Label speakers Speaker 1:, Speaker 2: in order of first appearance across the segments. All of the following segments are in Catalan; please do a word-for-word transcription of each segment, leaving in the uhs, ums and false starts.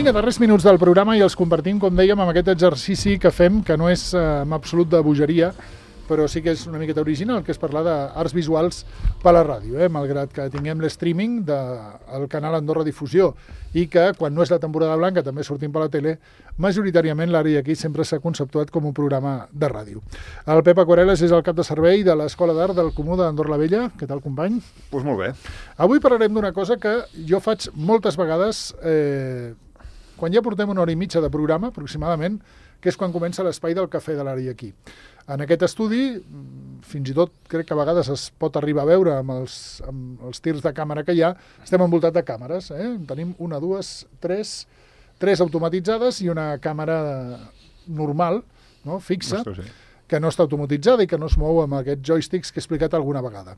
Speaker 1: Vinga, darrers minuts del programa i els compartim, com dèiem, amb aquest exercici que fem, que no és eh, en absolut de bogeria, però sí que és una miqueta original, que és parlar d'arts visuals per la ràdio, eh? Malgrat que tinguem l'streaming del canal Andorra Difusió i que, quan no és la temporada blanca, també sortim per la tele, majoritàriament l'àrea aquí sempre s'ha conceptuat com un programa de ràdio. El Pep Aquarel·les és el cap de servei de l'Escola d'Art del Comú d'Andorra la Vella. Què tal, company?
Speaker 2: Doncs pues molt bé.
Speaker 1: Avui parlarem d'una cosa que jo faig moltes vegades, eh, quan ja portem una hora i mitja de programa, aproximadament, que és quan comença l'espai del cafè de l'àrea aquí. En aquest estudi, fins i tot crec que a vegades es pot arribar a veure amb els, amb els tirs de càmera que hi ha, estem envoltats de càmeres. Eh? Tenim una, dues, tres, tres automatitzades i una càmera normal, no? Fixa,
Speaker 2: Ostres, sí.
Speaker 1: que no està automatitzada i que no es mou amb aquests joysticks que he explicat alguna vegada.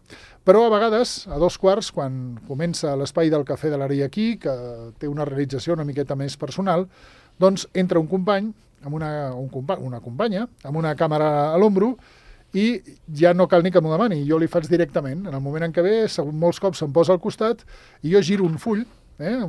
Speaker 1: Però a vegades, a dos quarts, quan comença l'espai del cafè de l'àrea aquí, que té una realització una miqueta més personal, doncs entra un company, amb una, un compa una companya, amb una càmera a l'ombro, i ja no cal ni que m'ho demani, jo li faig directament. En el moment en què ve, molts cops se'm posa al costat i jo giro un full, eh,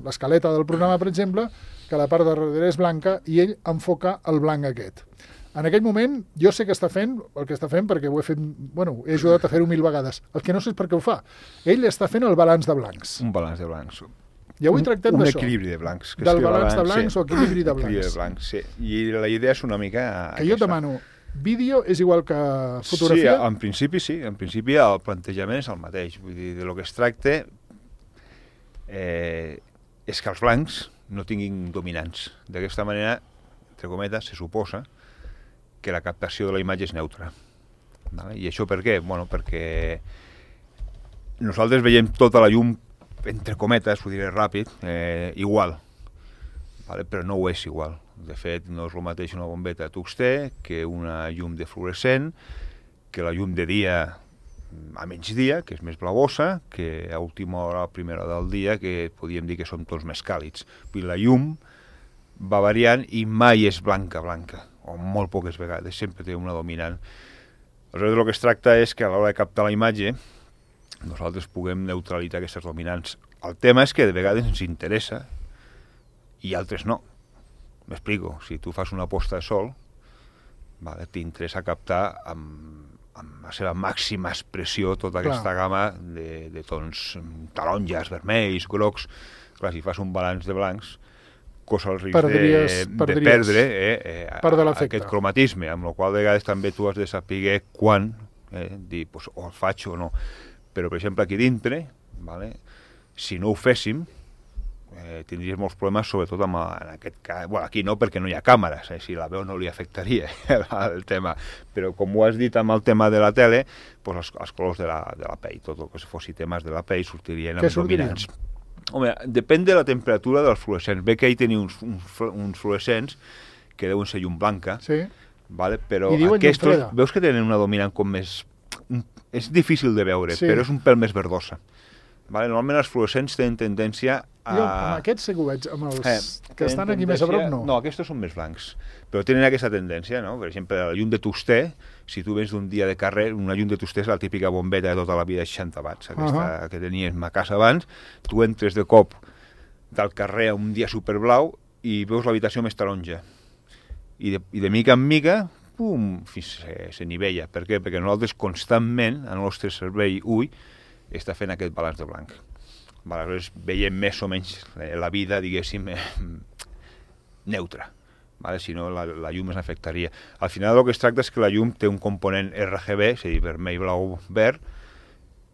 Speaker 1: l'escaleta del programa, per exemple, que la part de darrere és blanca i ell enfoca el blanc aquest. En aquell moment, jo sé que està fent el que està fent perquè ho he fet, bueno, he ajudat a fer-ho mil vegades. El que no sé és per què ho fa. Ell està fent el balanç de blancs.
Speaker 2: Un balanç de blancs.
Speaker 1: I avui tractem d'això.
Speaker 2: Un equilibri de blancs. Que
Speaker 1: Del balanç de blancs
Speaker 2: sí.
Speaker 1: o equilibri de blancs.
Speaker 2: Equilibri de blancs, sí. I la idea és una mica
Speaker 1: que jo et demano, vídeo és igual que fotografia?
Speaker 2: Sí, en principi sí. En principi el plantejament és el mateix. Vull dir, de lo que es tracta eh, és que els blancs no tinguin dominants. D'aquesta manera, entre cometes, se suposa que la captació de la imatge és neutra. Vale? I això per què? Bueno, perquè nosaltres veiem tota la llum, entre cometes, ho diré ràpid, eh, igual, vale? Però no ho és igual. De fet, no és el mateix una bombeta de tungstè que una llum de fluorescent, que la llum de dia a migdia, que és més blavosa, que a última hora, a primera hora del dia, que podríem dir que són tons més càlids. Vull dir, la llum va variant i mai és blanca, blanca, o molt poques vegades, sempre té una dominant. Aleshores, el que es tracta és que a l'hora de captar la imatge nosaltres puguem neutralitzar aquestes dominants. El tema és que de vegades ens interessa i altres no. M'explico. Si tu fas una posta de sol, vale, t'interessa captar amb, amb la seva màxima expressió tota aquesta Clar. gamma de, de tons taronges, vermells, grocs. Clar, si fas un balanç de blancs, cosa el risc perdries, de, de perdre eh, eh, aquest cromatisme, amb la qual de vegades també tu has de saber quan, eh, dir, pues, o el faig o no. Però, per exemple, aquí dintre, vale, si no ho féssim, eh, tindries molts problemes, sobretot amb, en aquest cas, bueno, aquí no, perquè no hi ha càmeres, eh, si la veu no li afectaria el, el tema, però com ho has dit amb el tema de la tele, pues els, els colors de la, de la pell, tot el que fossi temes de la pell sortirien amb dominants. Home, depèn de la temperatura dels fluorescents. Ve que ell tenia uns, uns, uns fluorescents que deuen ser llum blanca, sí. Vale, però aquests, veus que tenen una dominant com més... És difícil de veure, sí. Però és un pèl més verdosa. Vale? Normalment els fluorescents tenen tendència a...
Speaker 1: Jo amb aquests sí que ho veig, amb els eh, que estan aquí més a prop no.
Speaker 2: No, aquests són més blancs, però tenen aquesta tendència, no? Per exemple, la llum de tungstè, si tu vens d'un dia de carrer, una llum de tungstè és la típica bombeta de tota la vida de seixanta watts, aquesta uh -huh. que teníem a casa abans, tu entres de cop del carrer un dia superblau i veus l'habitació més taronja. I de, i de mica en mica... pum, se, se nivella. Per què? Perquè nosaltres constantment, el nostre cervell ull, està fent aquest balanç de blanc. Vale, aleshores veiem més o menys la vida, diguéssim, eh, neutra. Vale? Si no, la, la llum ens afectaria. Al final el que es tracta és que la llum té un component R G B, és a dir, vermell, blau, verd.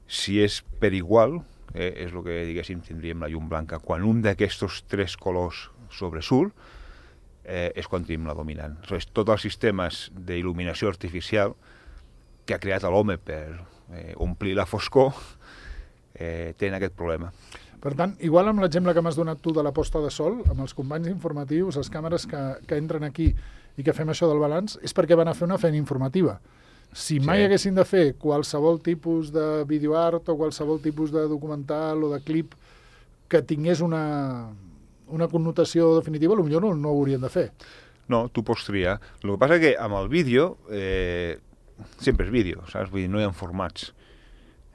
Speaker 2: Si és per igual, eh, és el que, diguéssim, tindríem la llum blanca. Quan un d'aquests tres colors sobresurt, Eh, és quan tenim la dominant. Aleshores, tots els sistemes d'il·luminació artificial que ha creat l'home per eh, omplir la foscor eh, tenen aquest problema.
Speaker 1: Per tant, igual amb l'exemple que m'has donat tu de la posta de sol, amb els companys informatius, les càmeres que, que entren aquí i que fem això del balanç, és perquè van a fer una feina informativa. Si mai sí. haguessin de fer qualsevol tipus de videoart o qualsevol tipus de documental o de clip que tingués una... una connotació definitiva, potser no, no ho haurien de fer.
Speaker 2: No, tu pots triar. El que passa és que amb el vídeo, eh, sempre és vídeo, saps? Vull dir, no hi ha formats.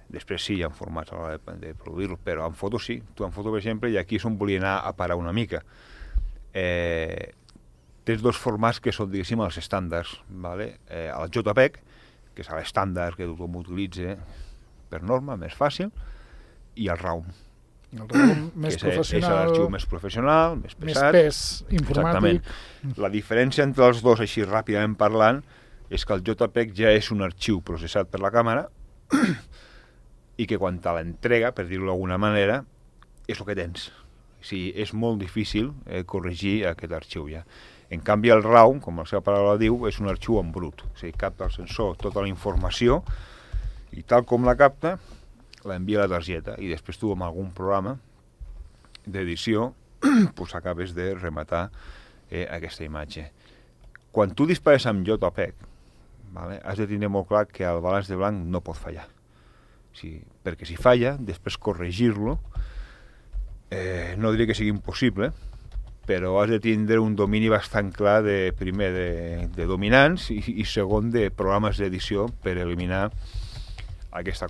Speaker 2: Després sí hi ha formats a l'hora de, de produir-lo, però en foto sí. Tu en foto, per exemple, i aquí és on volia anar a parar una mica. eh, tens dos formats que són, diguéssim, els estàndards. Vale? Eh, el JPEG, que és l'estàndard que tothom utilitza per norma, més fàcil, i el RAW.
Speaker 1: El RAW més
Speaker 2: que és,
Speaker 1: professional...
Speaker 2: És l'arxiu més professional, més pesat.
Speaker 1: Més pes informàtic.
Speaker 2: Exactament. La diferència entre els dos, així ràpidament parlant, és que el JPEG ja és un arxiu processat per la càmera i que quan te l'entrega, per dir-ho d'alguna manera, és el que tens. O sigui, és molt difícil eh, corregir aquest arxiu ja. En canvi, el RAW, com la seva paraula diu, és un arxiu en brut. O sigui, capta el sensor tota la informació i tal com la capta, l'envia a la targeta i després tu amb algun programa d'edició pues, acabes de rematar eh, aquesta imatge. Quan tu dispares amb JPEG, vale, has de tenir molt clar que el balanç de blanc no pot fallar. Sí, perquè si falla, després corregir-lo, eh, no diré que sigui impossible, però has de tindre un domini bastant clar de, primer de, de dominants i, i segon de programes d'edició per eliminar aquesta,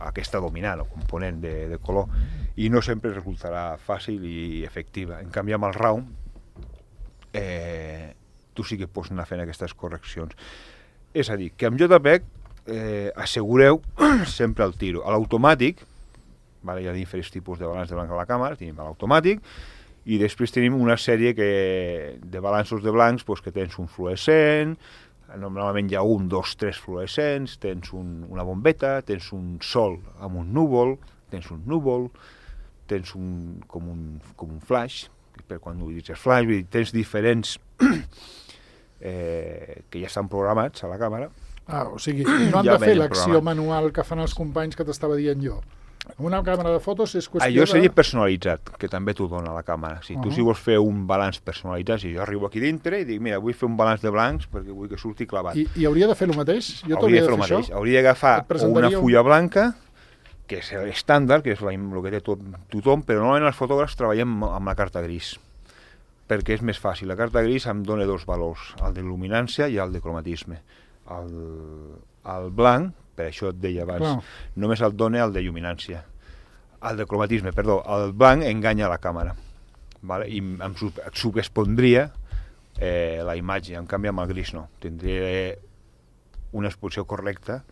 Speaker 2: aquesta dominant o component de, de color, i no sempre resultarà fàcil i efectiva. En canvi, amb el RAW eh, tu sí que pots anar fent aquestes correccions. És a dir, que amb JPEG eh, assegureu sempre el tiro. A l'automàtic, vale, hi ha diferents tipus de balanç de blanc a la càmera, tenim l'automàtic, i després tenim una sèrie que, de balanços de blancs pues, que tens un fluorescent, normalment hi ha un, dos, tres fluorescents, tens un, una bombeta, tens un sol amb un núvol, tens un núvol, tens un, com, un, com un flash, per quan utilitzes flash, vull dir, tens diferents eh, que ja estan programats a la càmera.
Speaker 1: Ah, o sigui, no han ja de fer l'acció manual que fan els companys que t'estava dient jo. Una càmera de fotos és qüestió
Speaker 2: Allò seria
Speaker 1: de...
Speaker 2: personalitzat, que també t'ho dona la càmera. Si uh -huh. tu si vols fer un balanç personalitzat, si jo arribo aquí dintre i dic, mira, vull fer un balanç de blancs perquè vull que surti clavat.
Speaker 1: I, i hauria de fer el mateix? Jo
Speaker 2: hauria de fer el
Speaker 1: mateix.
Speaker 2: Això? Hauria d'agafar una fulla un... blanca, que és l'estàndard, que és la, el que té tot, tothom, però normalment els fotògrafs treballem amb la carta gris, perquè és més fàcil. La carta gris em dona dos valors, el de luminància i el de cromatisme. El, el blanc, per això et deia abans, Clar. només el dona el de lluminància. El de cromatisme, perdó, el blanc enganya la càmera, vale? I em sub subexpondria eh, la imatge, en canvi amb el gris no. Tindria una exposició correcta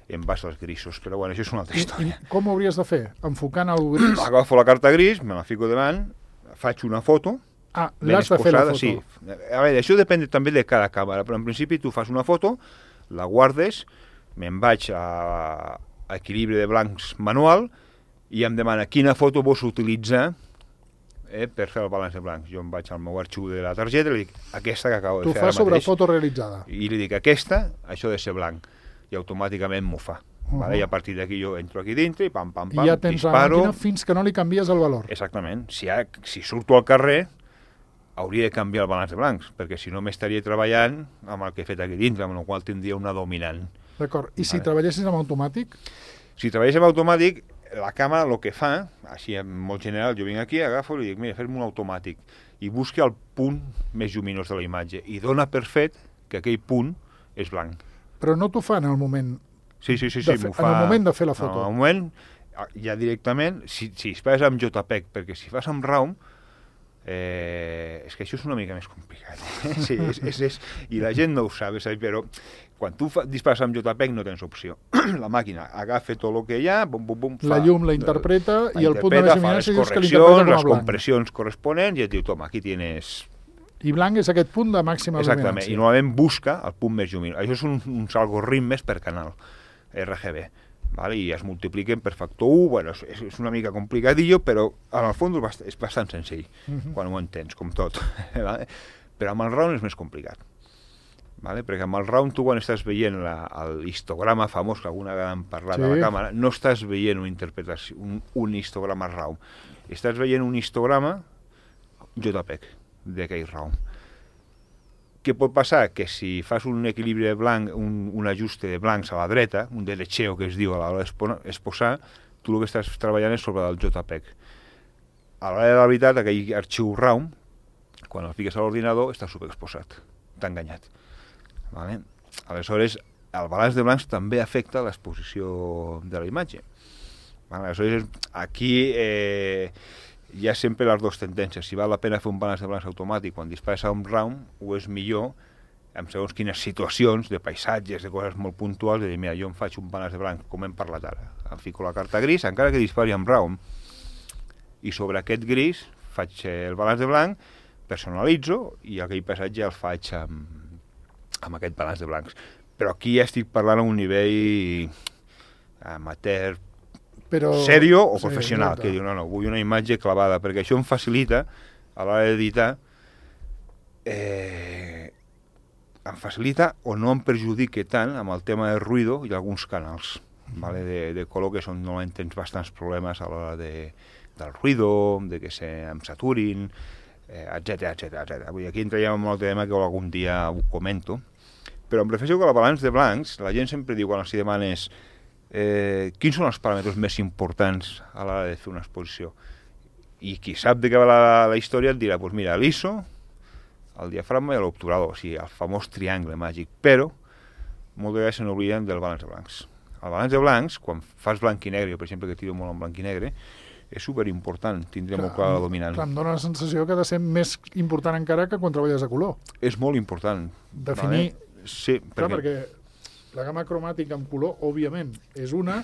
Speaker 2: en base als grisos, però bueno, això és una altra història.
Speaker 1: I, i com ho hauries de fer? Enfocant el gris?
Speaker 2: Agafo la carta gris, me la fico davant, faig una foto.
Speaker 1: Ah, l'has de fer la foto.
Speaker 2: Sí. A veure, això depèn també de cada càmera, però en principi tu fas una foto, la guardes, me'n vaig a, a equilibri de blancs manual i em demana quina foto vols utilitzar eh, per fer el balanç de blancs. Jo em vaig al meu arxiu de la targeta i li dic aquesta que acabo de
Speaker 1: tu
Speaker 2: fer ara mateix.
Speaker 1: Tu fas sobre foto realitzada.
Speaker 2: I li dic aquesta, això ha de ser blanc. I automàticament m'ho fa. Uh -huh. Vale? I a partir d'aquí jo entro aquí dintre i pam, pam, pam,
Speaker 1: I ja tens
Speaker 2: disparo.
Speaker 1: La màquina fins que no li canvies el valor.
Speaker 2: Exactament. Si, ha, si surto al carrer, hauria de canviar el balanç de blancs, perquè si no m'estaria treballant amb el que he fet aquí dintre, amb el qual tindria una dominant.
Speaker 1: D'acord. I
Speaker 2: vale.
Speaker 1: si treballessis amb automàtic?
Speaker 2: Si treballés amb automàtic, la càmera el que fa, així en molt general, jo vinc aquí, agafo i li dic, mira, fes-me un automàtic, i busca el punt més lluminós de la imatge, i dona per fet que aquell punt és blanc.
Speaker 1: Però no t'ho fa en el moment
Speaker 2: Sí, sí, sí, sí
Speaker 1: fe...
Speaker 2: m'ho fa...
Speaker 1: En el moment de fer la foto.
Speaker 2: En el moment, ja directament, si, si es fas amb JPEG, perquè si fas amb RAW, eh, és que això és una mica més complicat. Eh? Sí, és, és, és, i la gent no ho sap, saps? Però quan tu fa, dispares amb JPEG no tens opció. La màquina agafa tot el que hi ha, bum, bum, bum, fa,
Speaker 1: la llum la interpreta
Speaker 2: la
Speaker 1: i el punt de més lluminància dius que l'interpreta com a blanc.
Speaker 2: Les compressions corresponents i et diu, toma, aquí tienes...
Speaker 1: I blanc és aquest punt de màxima
Speaker 2: Exactament,
Speaker 1: luminància.
Speaker 2: i normalment busca el punt més lluminós. Això és un, uns algoritmes per canal R G B, vale? I es multipliquen per factor u, bueno, és, és una mica complicadillo, però en el fons és bastant, és bastant senzill, uh -huh. quan ho entens, com tot. Vale? Però amb el RAW és més complicat, vale? Perquè amb el RAW tu quan estàs veient l'histograma famós, que alguna vegada hem parlat sí. de la càmera, no estàs veient una interpretació, un, un histograma RAW, estàs veient un histograma JPEG d'aquell RAW. Què pot passar? Que si fas un equilibri de blanc, un, un ajuste de blancs a la dreta, un derecho que es diu a l'hora d'exposar, tu el que estàs treballant és sobre el JPEG. A l'hora de la veritat, aquell arxiu RAW, quan el fiques a l'ordinador, està superexposat, t'ha enganyat. Vale? Aleshores, el balanç de blancs també afecta l'exposició de la imatge. Vale? Aleshores, aquí... Eh, hi ha sempre les dues tendències. Si val la pena fer un balanç de blancs automàtic quan dispares a un round, o és millor, en segons quines situacions, de paisatges, de coses molt puntuals, de dir, mira, jo em faig un balanç de blanc, com hem parlat ara. Em fico la carta gris, encara que dispari amb round. I sobre aquest gris faig el balanç de blanc, personalitzo, i aquell paisatge el faig amb, amb aquest balanç de blancs. Però aquí ja estic parlant a un nivell amateur, però, sèrio o sí, professional, que diu, no, no, vull una imatge clavada, perquè això em facilita, a l'hora d'editar, eh, em facilita o no em perjudique tant amb el tema del ruïdo i alguns canals, vale, de, de color, que són, normalment tens bastants problemes a l'hora de, del ruïdo, de que se em saturin, eh, etcètera, etcètera, etcètera. Vull dir, aquí entraríem en un altre tema que algun dia ho comento, però em refereixo que el balanç de blancs, la gent sempre diu, quan els demanes eh, quins són els paràmetres més importants a l'hora de fer una exposició, i qui sap de què va la, la història et dirà, doncs mira, l'I S O, el diafragma i l'obturador, o sigui, el famós triangle màgic, però moltes vegades se n'obliden del balanç de blancs. El balanç de blancs, quan fas blanc i negre, per exemple, que tiro molt en blanc i negre, és superimportant, tindré clar, molt clar la dominant.
Speaker 1: Clar, em dóna la sensació que ha de ser més important encara que quan treballes a color.
Speaker 2: És molt important.
Speaker 1: Definir...
Speaker 2: Vale? Sí,
Speaker 1: clar, perquè... perquè la gamma cromàtica en color, òbviament, és una,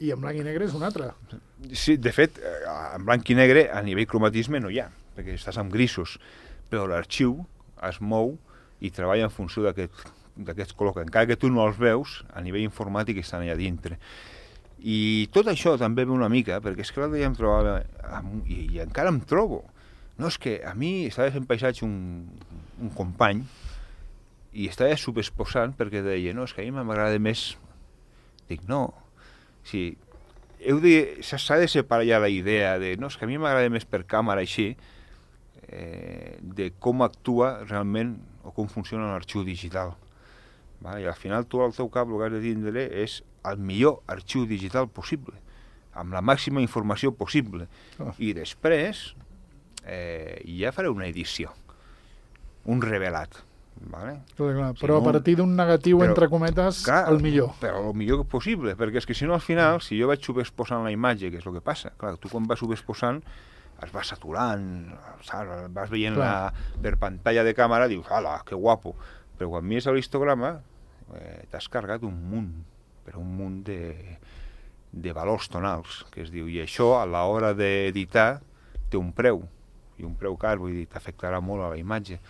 Speaker 1: i en blanc i negre és una altra.
Speaker 2: Sí, de fet, en blanc i negre a nivell cromatisme no hi ha, perquè estàs amb grisos, però l'arxiu es mou i treballa en funció d'aquests colors, que encara que tu no els veus, a nivell informàtic estan allà dintre. I tot això també ve una mica, perquè és que l'altre dia em trobava, i, i encara em trobo, no, és que a mi estava fent paisatge un, un company, i estava subexposant perquè deia, no, és que a mi m'agrada més... Dic, no, sí, heu de, s'ha de separar ja la idea de, no, és que a mi m'agrada més per càmera així, eh, de com actua realment o com funciona l'arxiu digital. Vale? I al final tu al teu cap el que has de tindre és el millor arxiu digital possible, amb la màxima informació possible. Oh. I després eh, ja faré una edició, un revelat. Vale?
Speaker 1: Clar, clar. Però si no, a partir d'un negatiu, però, entre cometes, clar, el millor.
Speaker 2: Però el millor possible, perquè és que si no al final, si jo vaig subexposant la imatge, que és el que passa, clar, tu quan vas subexposant es va saturant, saps? Vas veient la, per pantalla de càmera, dius, ala, que guapo, però quan mires l'histograma eh, t'has carregat un munt, però un munt de, de valors tonals, que es diu, i això a l'hora d'editar té un preu, i un preu car, vull dir, t'afectarà molt a la imatge.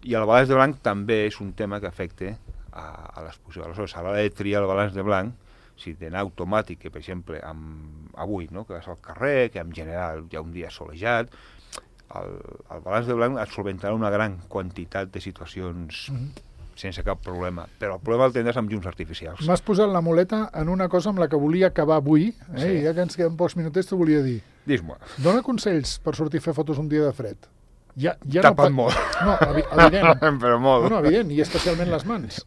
Speaker 2: I el balanç de blanc també és un tema que afecta a, a l'exposició. Aleshores, a l'hora de triar el balanç de blanc, si d'anar automàtic, que per exemple amb, avui, no? Que vas al carrer, que en general hi ha un dia solejat, el, el balanç de blanc et solventarà una gran quantitat de situacions mm-hmm. sense cap problema, però el problema el tindràs amb llums artificials.
Speaker 1: M'has posat la muleta en una cosa amb la que volia acabar avui, eh? Sí. I ja que ens queden pocs minutets t'ho volia dir.
Speaker 2: Dis-me.
Speaker 1: Dóna consells per sortir a fer fotos un dia de fred. Ja, ja
Speaker 2: Tapat
Speaker 1: no...
Speaker 2: molt.
Speaker 1: No, evident.
Speaker 2: Però molt.
Speaker 1: No, no, evident, i especialment les mans.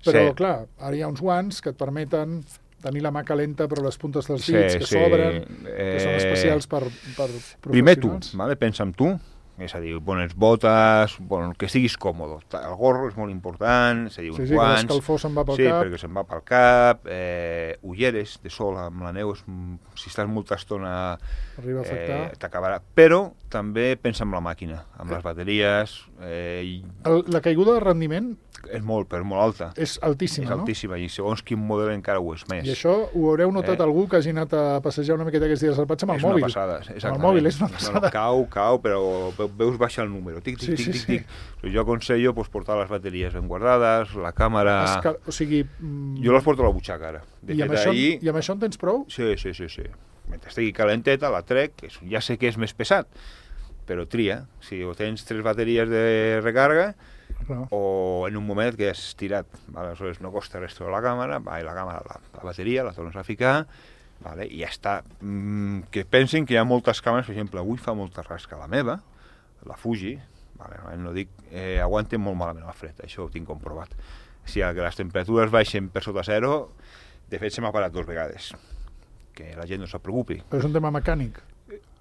Speaker 1: Però, sí. Clar, ara hi ha uns guants que et permeten tenir la mà calenta, però les puntes dels dits, sí, que s'obren, sí. eh... que són especials per, per professionals.
Speaker 2: Primer tu, vale? Pensa en tu, és a dir, bones botes, bon, que estiguis còmode. El gorro és molt important, és a dir, uns
Speaker 1: sí, sí,
Speaker 2: guants...
Speaker 1: Sí, que l'escalfor se'n va pel
Speaker 2: sí,
Speaker 1: cap.
Speaker 2: Sí, perquè se'n va pel cap, eh, ulleres de sol amb la neu, és, si estàs molta estona eh, t'acabarà. Però també pensa en la màquina, amb les bateries... Eh, i...
Speaker 1: El, la caiguda de rendiment...
Speaker 2: És molt, però molt alta.
Speaker 1: És altíssima,
Speaker 2: és
Speaker 1: no? És
Speaker 2: altíssima, i segons quin model encara ho és més.
Speaker 1: I això ho haureu notat eh? algú que hagi anat a passejar una miqueta aquests dies al patge amb el
Speaker 2: és
Speaker 1: mòbil.
Speaker 2: És una passada, exactament.
Speaker 1: Amb el mòbil és una passada.
Speaker 2: No, no, cau, cau, però veus baixar el número. Tic, tic,
Speaker 1: sí,
Speaker 2: tic,
Speaker 1: sí,
Speaker 2: tic,
Speaker 1: sí.
Speaker 2: tic. Jo aconsello pues, portar les bateries ben guardades, la càmera...
Speaker 1: Esca... O sigui... Mm...
Speaker 2: Jo les porto a la butxaca, ara. De
Speaker 1: I, amb això, ahir... I amb això en tens prou?
Speaker 2: Sí, sí, sí, sí. Mentre estigui calenteta, la trec, que ja sé que és més pesat, però tria. Si o tens tres bateries de recarga, no. O en un moment que has tirat, vale? Aleshores no costa res treure la càmera, va, i la càmera, la, la bateria, la tornes a ficar, vale? I ja està. Mm, que pensin que hi ha moltes càmeres, per exemple, avui fa molta rasca la meva, la Fuji, vale? No dic, eh, aguanten molt malament el fred, això ho tinc comprovat. Si que les temperatures baixen per sota zero, de fet se m'ha parat dues vegades, que la gent no se'n preocupi.
Speaker 1: Però és un tema mecànic.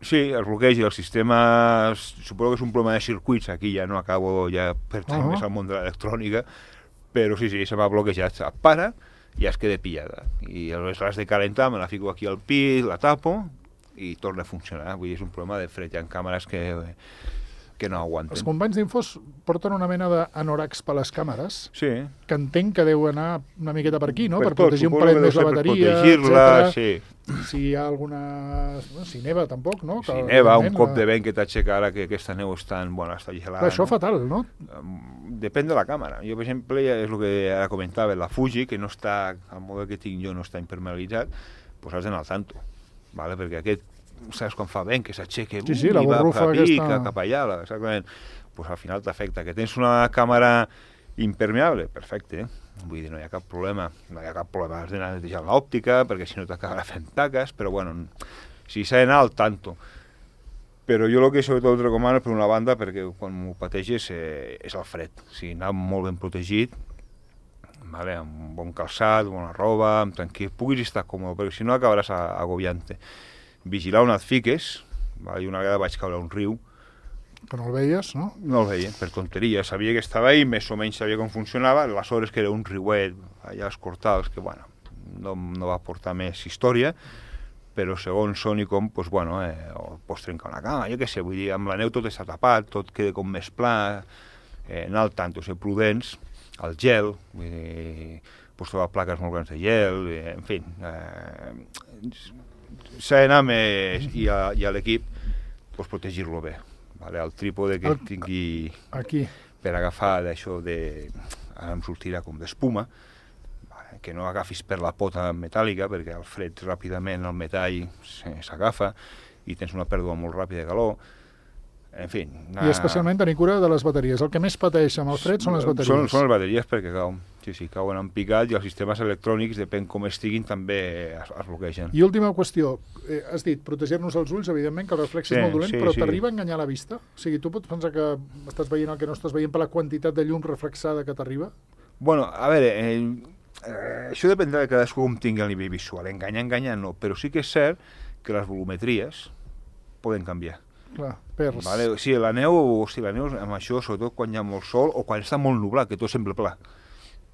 Speaker 2: Sí, el bloqueig i el sistema, suposo que és un problema de circuits, aquí ja no acabo, ja pertany uh -huh. més al món de l'electrònica, però sí, sí, se m'ha bloquejat, et para i ja es queda pillada. I aleshores l'has de calentar, me la fico aquí al pit, la tapo, i torna a funcionar. Vull dir, és un problema de fred. Hi ha càmeres que, que no aguanten.
Speaker 1: Els companys d'Infos porten una mena d'anoracs per les càmeres,
Speaker 2: sí.
Speaker 1: que entenc que deu anar una miqueta per aquí, no?
Speaker 2: Per,
Speaker 1: per
Speaker 2: tot,
Speaker 1: protegir un
Speaker 2: suposo
Speaker 1: parell
Speaker 2: que
Speaker 1: més la
Speaker 2: deu ser per
Speaker 1: bateria,
Speaker 2: protegir-la,
Speaker 1: etcètera.
Speaker 2: sí.
Speaker 1: Si hi ha alguna... No, si neva, tampoc, no?
Speaker 2: Si
Speaker 1: Que,
Speaker 2: neva, un
Speaker 1: evidentment,
Speaker 2: cop
Speaker 1: la-
Speaker 2: de vent que t'aixeca ara, que aquesta neu està, en, bueno, està gelada.
Speaker 1: Clar, això
Speaker 2: no?
Speaker 1: fatal, no?
Speaker 2: Depèn de la càmera. Jo, per exemple, ja és el que ara comentava, la Fuji, que no està, el model que tinc jo no està impermeabilitzat, doncs has d'anar al tanto, vale? Perquè aquest, saps quan fa vent, que s'aixeca,
Speaker 1: Sí, sí, la
Speaker 2: i va
Speaker 1: borrufa
Speaker 2: cap, aquí,
Speaker 1: aquesta.
Speaker 2: cap allà, la- exactament, doncs al final t'afecta. Que tens una càmera impermeable, perfecte, vull dir, no hi ha cap problema, no hi ha cap problema, has d'anar netejant l'òptica, perquè si no t'acabarà fent taques, però bueno, si s'ha d'anar al tanto. Però jo el que sobretot recomano, per una banda, perquè quan m'ho pateges eh, és el fred. O sigui, anar molt ben protegit, vale? Amb un bon calçat, bona roba, amb tranquil, puguis estar còmode, perquè si no acabaràs a- agobiant-te. Vigilar on et fiques, vale? I una vegada vaig caure a un riu,
Speaker 1: Que no el veies, no?
Speaker 2: no el veia, per tonteria, sabia que estava ahí, més o menys sabia com funcionava, aleshores que era un riuet allà als Cortals, que bueno, no, no va portar més història, però segons són i com, doncs, bueno, eh, o pots trencar una cama, jo què sé, vull dir, amb la neu tot està tapat, tot queda com més pla, eh, anar al tanto, ser prudents, el gel, vull dir, pots trobar plaques molt grans de gel, eh, en fi, eh, s'ha d'anar més, i a, i a l'equip, doncs, protegir-lo bé, vale? El trípode que
Speaker 1: El-
Speaker 2: tingui
Speaker 1: Aquí.
Speaker 2: per agafar d'això de... ara em sortirà com d'espuma, vale? Que no agafis per la pota metàl·lica, perquè al fred ràpidament el metall se- s'agafa i tens una pèrdua molt ràpida de calor. En fi...
Speaker 1: I especialment tenir cura de les bateries. El que més pateix amb el fred són les bateries.
Speaker 2: Són, són les bateries perquè cauen, sí, sí, cauen en picat i els sistemes electrònics, depèn com estiguin, també es, es bloquegen.
Speaker 1: I última qüestió, eh, has dit, protegir-nos els ulls, evidentment, que el reflex
Speaker 2: Sí,
Speaker 1: és molt dolent,
Speaker 2: sí,
Speaker 1: però
Speaker 2: sí.
Speaker 1: t'arriba a enganyar la vista? O sigui, tu pots pensar que estàs veient el que no estàs veient per la quantitat de llum reflexada que t'arriba?
Speaker 2: Bueno, a veure, eh, eh, això dependrà de cadascú com tingui el nivell visual. Enganyar, enganyar no, però sí que és cert que les volumetries poden canviar.
Speaker 1: Clar, perds.
Speaker 2: Vale? O sigui, la neu, o sigui, la neu amb això, sobretot quan hi ha molt sol o quan està molt nublat, que tot sembla pla.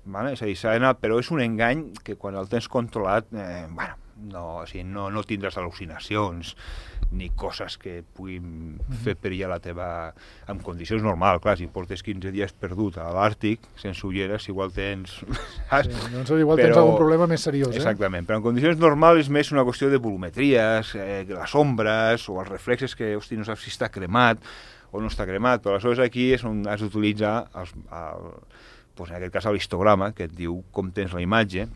Speaker 2: Vale? És a dir, s'ha d'anar, però és un engany que quan el tens controlat, eh, bueno, no, o sigui, no, no tindràs al·lucinacions ni coses que puguin fer perillar la teva... en condicions normals, clar, si portes quinze dies perdut a l'Àrtic, sense ulleres, igual tens...
Speaker 1: Sí, doncs igual tens
Speaker 2: Però-
Speaker 1: algun problema més seriós, eh?
Speaker 2: Exactament, però en condicions normals és més una qüestió de volumetries, eh, les ombres o els reflexes que, hosti, no saps si està cremat o no està cremat, però aleshores aquí és on has d'utilitzar els, el, doncs en aquest cas l'histograma, que et diu com tens la imatge,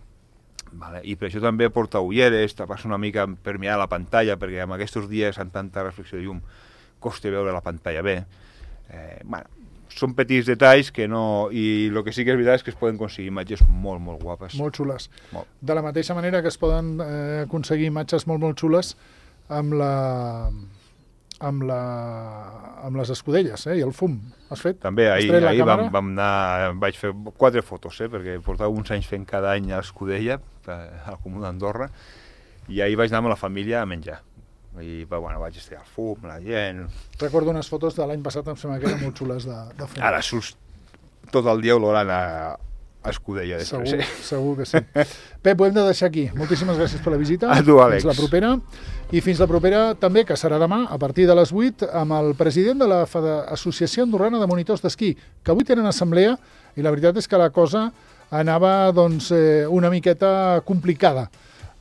Speaker 2: vale? I per això també portar ulleres, tapar-se una mica per mirar la pantalla, perquè en aquests dies amb tanta reflexió de llum costa veure la pantalla bé. Eh, bueno, són petits detalls que no... I el que sí que és veritat és que es poden aconseguir imatges molt, molt guapes.
Speaker 1: Molt xules.
Speaker 2: Molt.
Speaker 1: De la mateixa manera que es poden eh, aconseguir imatges molt, molt xules amb la amb, la, amb les escudelles, eh? I el fum. Has fet?
Speaker 2: També
Speaker 1: Has
Speaker 2: ahir,
Speaker 1: tret la
Speaker 2: ahir vam,
Speaker 1: càmera?
Speaker 2: vam anar, vaig fer quatre fotos, eh, perquè portava uns anys fent cada any a l'Escudella, al Comú d'Andorra, i ahir vaig anar amb la família a menjar. I bueno, vaig estar al fum, la gent...
Speaker 1: Recordo unes fotos de l'any passat, em sembla que eren molt xules de, de fum.
Speaker 2: Ara surts tot el dia olorant a, a Escudella.
Speaker 1: Segur,
Speaker 2: Després, eh?
Speaker 1: segur que sí. Pep, ho hem de deixar aquí. Moltíssimes gràcies per la visita.
Speaker 2: A tu, Àlex.
Speaker 1: Fins la propera. I fins la propera també, que serà demà, a partir de les vuit, amb el president de la Associació Andorrana de Monitors d'Esquí, que avui tenen assemblea, i la veritat és que la cosa anava doncs, eh, una miqueta complicada.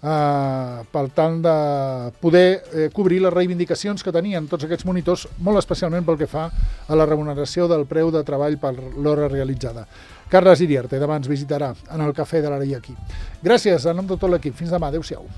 Speaker 1: Uh, per tal de poder eh, cobrir les reivindicacions que tenien tots aquests monitors, molt especialment pel que fa a la remuneració del preu de treball per l'hora realitzada. Carles Iriarte demà ens visitarà en el Cafè de l'Ara i aquí. Gràcies, en nom de tot l'equip. Fins demà. Adéu-siau.